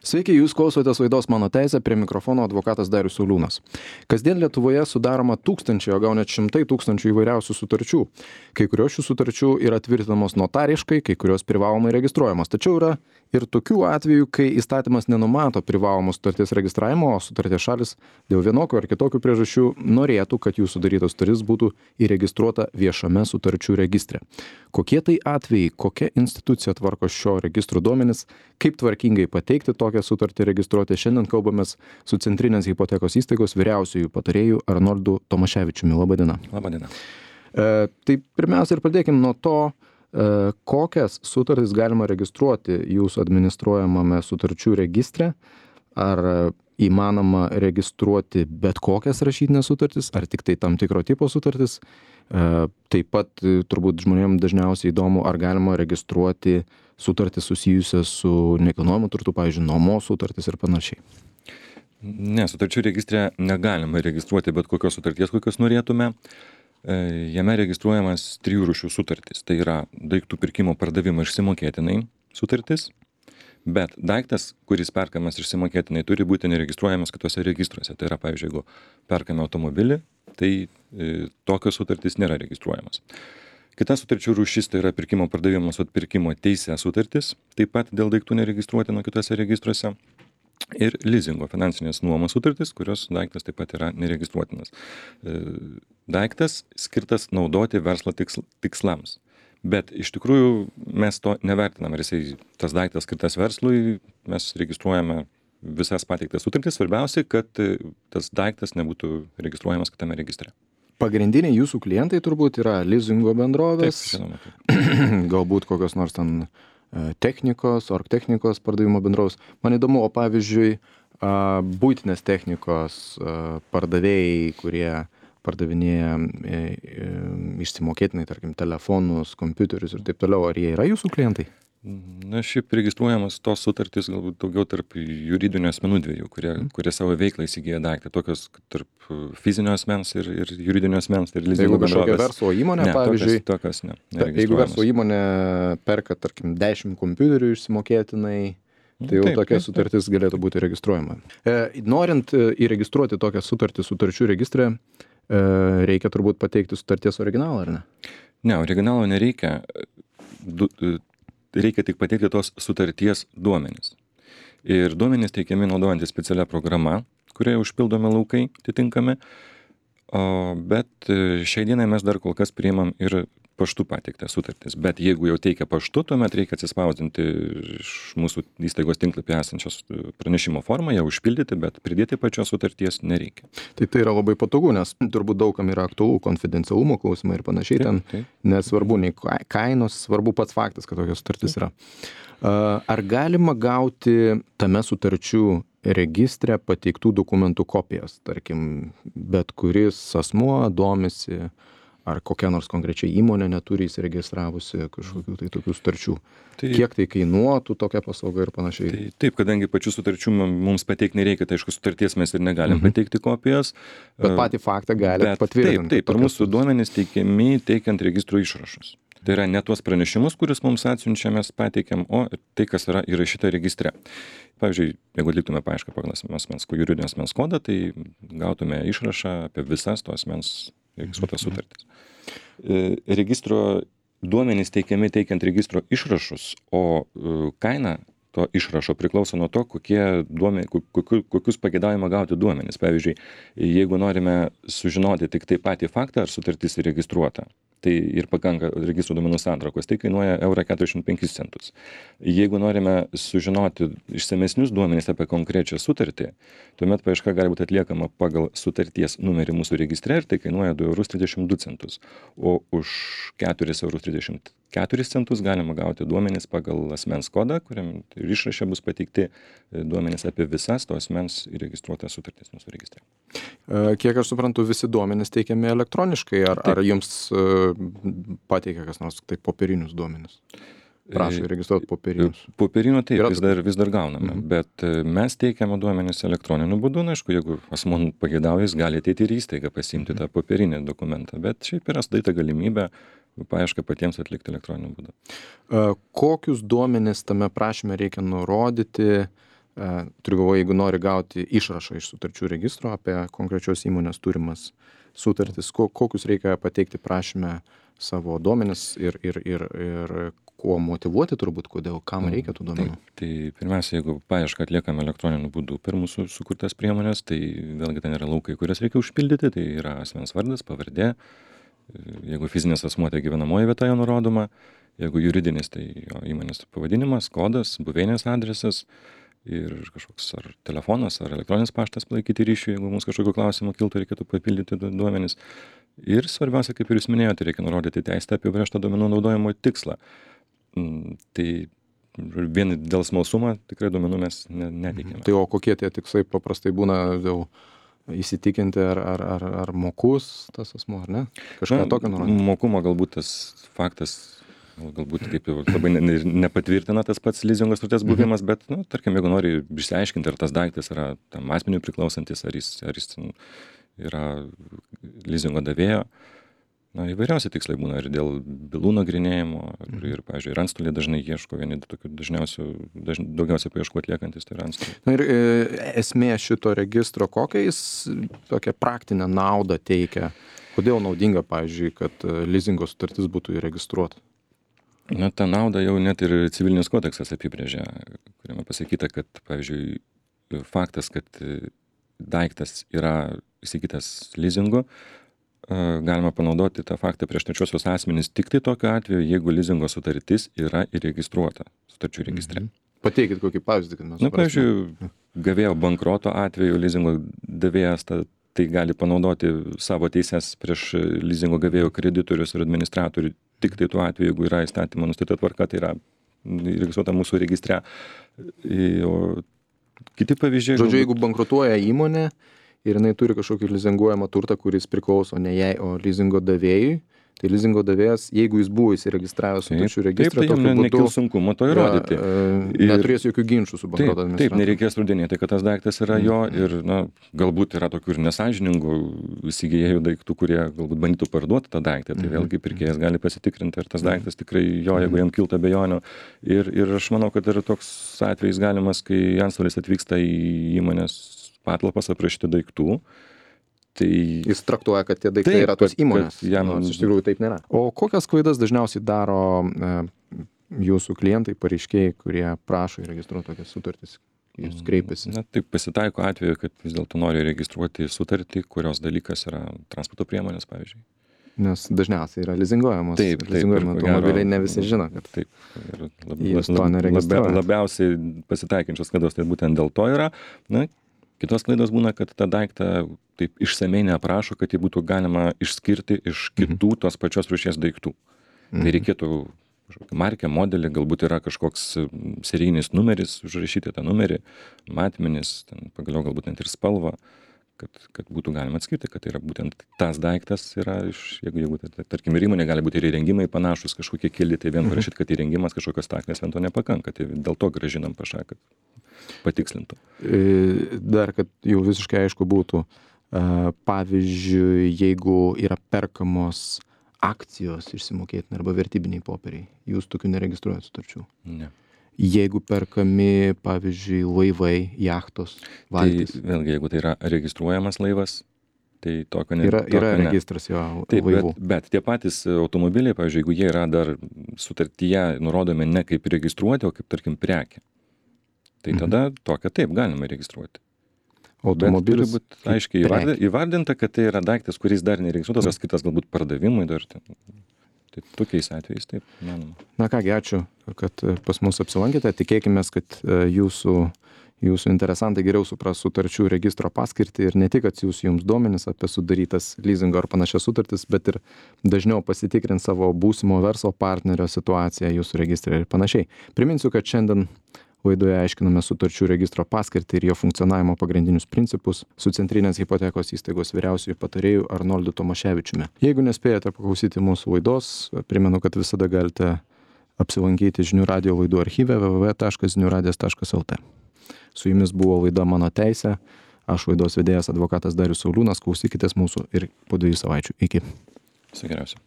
Sveiki, jūs klausotės laidos Mano teisė, prie mikrofono advokatas Darius Sauliūnas. Kasdien Lietuvoje sudaroma tūkstančiai, o gal net šimtai tūkstančių įvairiausių sutarčių. Kai kurios šių sutarčių yra tvirtinamos notariškai, kai kurios privalomai registruojamos. Tačiau yra ir tokių atvejų, kai įstatymas nenumato privalomos sutarties registravimo, o sutarties šalis dėl vienokių ar kitokių priežasčių norėtų, kad jų sudarytos sutartis būtų įregistruota viešame sutarčių registre. Kokie tai atvejai, kokia institucija tvarko šio registro duomenis, kaip tvarkingai pateikti tokią sutartį registruoti. Šiandien kalbamės su Centrinės hipotekos įstaigos vyriausiųjų patarėjų Arnoldu Tomaševičiumi. Labadiena. Labadiena. Tai pirmiausia ir pradėkime nuo to, kokias sutartis galima registruoti jūsų administruojamame sutarčių registre. Ar įmanoma registruoti bet kokias rašytinės sutartis, ar tik tai tam tikro tipo sutartis. Taip pat turbūt žmonėms dažniausiai įdomu, ar galima registruoti sutartis susijusias su nekilnojamu turtu, pavyzdžiui, nuomos sutartis ir panašiai. Ne, sutarčių registre negalima registruoti bet kokios sutarties, kokios norėtume. Jame registruojamas 3 rūšių sutartis. Tai yra daiktų pirkimo pardavimo išsimokėtinai sutartis, bet daiktas, kuris perkamas išsimokėtinai, turi būti neregistruojamas kitose registruose. Tai yra, pavyzdžiui, jeigu perkame automobilį, tai tokios sutartys nėra registruojamas. Kita sutarčių rūšis tai yra pirkimo pardavimas atpirkimo teisė sutartis, taip pat dėl daiktų neregistruoti nuo kitose registruose. Ir lizingo finansinės nuomos sutartis, kurios daiktas taip pat yra neregistruotinas. Daiktas skirtas naudoti verslo tikslams. Bet iš tikrųjų mes to nevertiname, ar tas daiktas skirtas verslui, mes registruojame visas pateiktas sutartis. Svarbiausia, kad tas daiktas nebūtų registruojamas kitame registre. Pagrindiniai jūsų klientai turbūt yra lizingo bendrovės, Taip, žinoma. galbūt kokios nors ten technikos, orgtechnikos pardavimo bendrovės. Man įdomu, o pavyzdžiui, buitinės technikos pardavėjai, kurie pardavinėja išsimokėtinai, tarkim, telefonus, kompiuterius ir taip toliau, ar jie yra jūsų klientai? Na, šiaip registruojamas tos sutartys galbūt daugiau tarp juridinių asmenų dviejų, kurie savo veiklą įsigyja daiktą, tokios tarp fizinio asmens ir juridinio asmens. Ir jeigu kažkokia verslo įmonė, ne, pavyzdžiui, tokios ne. Jeigu verslo įmonė perka, tarkim, 10 kompiuterių išsimokėtinai, tai jau tokia sutartis galėtų būti registruojama. Norint įregistruoti tokią sutartį sutarčių registre, reikia turbūt pateikti sutarties originalą, ar ne? Ne, originalo nereikia. Reikia tik pateikti tos sutarties duomenis. Ir duomenys teikiami naudojantis specialią programą, kurioje užpildomi laukai atitinkami. Bet šiai dienai mes dar kol kas priimam ir paštu pateiktą sutartis. Bet jeigu jau teikia paštu, tuomet reikia atsispausdinti iš mūsų įstaigos tinklapį esančios pranešimo formą, ją užpildyti, bet pridėti pačios sutarties nereikia. Tai yra labai patogu, nes turbūt daugam yra aktualu konfidencialumo klausimai ir panašiai. Ten nesvarbu nei kainos, svarbu pats faktas, kad tokia sutartis yra. Ar galima gauti tame sutarčių registre pateiktų dokumentų kopijas? Tarkim, bet kuris asmuo domisi, ar kokia nors konkrečiai įmonė neturi įsiregistravusi kažkokių tai tokių sutarčių. Kiek tai kainuotų tokia paslauga ir panašiai? Taip, kadangi pačių sutarčių mums pateikti nereikia, tai aišku, sutarties mes ir negalim pateikti kopijas. Bet patį faktą gali patvirtinti. Taip, ir mūsų duomenys teikiami teikiant registrų išrašus. Tai yra ne tuos pranešimus, kuris mums atsiunčia, mes pateikiam, o tai, kas yra įrašyta registre. Pavyzdžiui, jeigu atliktume paiešką pagal juridinio asmens kodą, tai gautume išrašą apie visas to asmens registruotas sutartis. Registro duomenys teikiami teikiant registro išrašus, o kaina to išrašo priklauso nuo to, kokius pageidavimą gauti duomenys. Pavyzdžiui, jeigu norime sužinoti tik tai patį faktą, ar sutartis įregistruota, tai ir pakanka registrų duomenų santraukos, tai kainuoja €45. Jeigu norime sužinoti išsamesnius duomenys apie konkrečią sutartį, tuomet paieška gali būti atliekama pagal sutarties numerį mūsų registre ir tai kainuoja €2,32. O už €4,34 galima gauti duomenys pagal asmens kodą, kuriam ir išraše bus pateikti duomenys apie visas to asmens įregistruotas sutartis mūsų registre. Kiek aš suprantu, visi duomenys teikiami elektroniškai, ar jums pateikia kas nors tai popierinius duomenis? Prašo įregistruoti popierinius. Popierinių taip, vis dar gauname, bet mes teikiame duomenis elektroniniu būdu. Na, aišku, jeigu asmuo pageidauja, jis gali ateiti ir įstaigą pasiimti tą popierinį dokumentą, bet šiaip yra sudaryta galimybė paiešką patiems atlikti elektroniniu būdu. Kokius duomenis tame prašyme reikia nurodyti, turiu galvoje, jeigu nori gauti išrašą iš sutarčių registro apie konkrečios įmonės turimas sutartis, kokius reikia pateikti prašyme savo duomenis ir kuo motyvuoti turbūt, kodėl, kam reikia tų duomenų. Tai pirmiausia, jeigu paiešką atliekame elektroniniu būdu per mūsų sukurtas priemonės, tai vėlgi ten yra laukai, kurias reikia užpildyti, tai yra asmens vardas, pavardė, jeigu fizinis asmuo, tai gyvenamoji vieta jo nurodoma, jeigu juridinis, tai jo įmonės pavadinimas, kodas, buveinės adresas ir kažkoks ar telefonas, ar elektroninis paštas palaikyti ryšių, jeigu mums kažkokių klausimų kiltų, reikėtų papildyti duomenis. Ir svarbiausia, kaip ir jūs minėjote, reikia nurodyti teisę apibrėžtą duomenų naudojimo tikslą. Tai vien dėl smalsumo tikrai duomenų mes neteikėme. Tai o kokie tie tikslai paprastai būna jau įsitikinti, ar mokus tas asmuo, ar ne? Kažką tokio nurodyti? Mokumo galbūt tas faktas, galbūt kaip jau labai nepatvirtina tas pats lizingo sutarties buvimas, bet, tarkim, jeigu nori išsiaiškinti, ar tas daiktas yra tam asmeniui priklausantis, ar jis yra lizingo davėjo, įvairiausi tikslai būna ir dėl bylų nagrinėjimo, ir pavyzdžiui, ir antstoliai dažnai ieško, vieni tokių daugiausiai paieškų atliekantis, tai yra antstoliai. Ir esmė šito registro, kokią jis tokią praktinę naudą teikia? Kodėl naudinga, pavyzdžiui, kad lizingo sutartis būtų įregistruota? Ta nauda jau net ir civilinis kodeksas apibrėžia, kuriame pasakyta, kad, pavyzdžiui, faktas, kad daiktas yra įsigytas lizingu, galima panaudoti tą faktą prieš trečiosius asmenys tik tai tokiu atveju, jeigu lizingo sutartis yra įregistruota sutarčių registre. Pateikit kokį pavyzdį, kad mes suprastume. Pavyzdžiui, gavėjo bankroto atveju lizingo davėjas tai gali panaudoti savo teises prieš lizingo gavėjo kreditorius ir administratorių tik tai tuo atveju, jeigu yra įstatymo nustatyta tvarka, tai yra įregistruota mūsų registre. O kiti pavyzdžiai... Žodžiu, jeigu bankrutuoja įmonė ir jinai turi kažkokį lizinguojamą turtą, kuris priklauso ne jai, o lizingo davėjui, tai lizingo davėjas, jeigu jis buvo įsiregistravęs sutarčių registrą, tokiu būdu nekils sunkumo to įrodyti. Neturės jokių ginčų su bankroto administratoriumi. Taip, nereikės rudenėti, kad tas daiktas yra jo ir galbūt yra tokių ir nesąžiningų įsigijėjų daiktų, kurie galbūt bandytų parduoti tą daiktą, tai vėlgi pirkėjas gali pasitikrinti, ar tas daiktas tikrai jo, jeigu jam kiltų abejonių. Ir aš manau, kad yra toks atvejis galimas, kai antstolis atvyksta į įmonės patalpas aprašyti daiktų. Tai jis traktuoja, kad tie daiktai yra tos įmonės. Nors iš tikrųjų taip nėra. O kokias klaidas dažniausiai daro jūsų klientai, pareiškėjai, kurie prašo įregistruoti tokias sutartis? Jūs kreipiasi. Taip pasitaiko atveju, kad vis dėlto nori registruoti sutartį, kurios dalykas yra transporto priemonės, pavyzdžiui. Nes dažniausiai yra lizinguojamos. Taip. Lizinguojami automobiliai ne visi žino, kad jūs to neregistruojate. Labiausiai pasitaikančios klaidos tai būtent dėl to yra. Kitos klaidos būna, kad tą daiktą taip išsamei neaprašo, kad jį būtų galima išskirti iš kitų tos pačios rūšies daiktų. Tai reikėtų markę, modelį, galbūt yra kažkoks serijinis numeris, užrašyti tą numerį, matmenis, pagaliau galbūt net ir spalvą, kad būtų galima atskirti, kad tai yra būtent tas daiktas yra jeigu tarkim, ir įmonė gali būti ir įrengimai panašus, kažkokie keli, tai vien parašyti, kad įrengimas kažkokios staklės, vien to nepakanka, tai dėl to grąžinam pašą, kad patikslintų. Dar, kad jau visiškai aišku būtų, pavyzdžiui, jeigu yra perkamos akcijos išsimokėtini arba vertybiniai popieriai, jūs tokių neregistruojat sutarčių? Ne. Jeigu perkami, pavyzdžiui, laivai, jachtos, valtys. Tai vėlgi, jeigu tai yra registruojamas laivas, tai tokio ne. Yra registras jo laivų. Bet tie patys automobiliai, pavyzdžiui, jeigu jie yra dar sutartyje nurodomi ne kaip registruoti, o kaip, tarkim, prekė, tai tada tokią taip galima registruoti. Automobilis bet turi būti aiškiai įvardinta, kad tai yra daiktas, kuris dar neregistruotas, skirtas galbūt pardavimui dar. Tai tokiais atvejais taip manoma. Na kągi, ačiū, kad pas mus apsilankėte. Tikėkime, kad jūsų interesantai geriau supras sutarčių registro paskirtį ir ne tik atsiųs jums duomenis apie sudarytas lizingo ar panašias sutartis, bet ir dažniau pasitikrins savo būsimo verslo partnerio situaciją jūsų registre ir panašiai. Priminsiu, kad šiandien laidoje aiškiname sutarčių registro paskirtį ir jo funkcionavimo pagrindinius principus su Centrinės hipotekos įstaigos vyriausiuoju patarėju Arnoldu Tomaševičiumi. Jeigu nespėjote paklausyti mūsų laidos, primenu, kad visada galite apsilankyti Žinių radijo laidų archyve www.žiniuradijas.lt. Su jumis buvo laida Mano teisė. Aš laidos vedėjas advokatas Darius Sauliūnas. Klausykitės mūsų ir po 2 savaičių. Iki. Viso geriausio.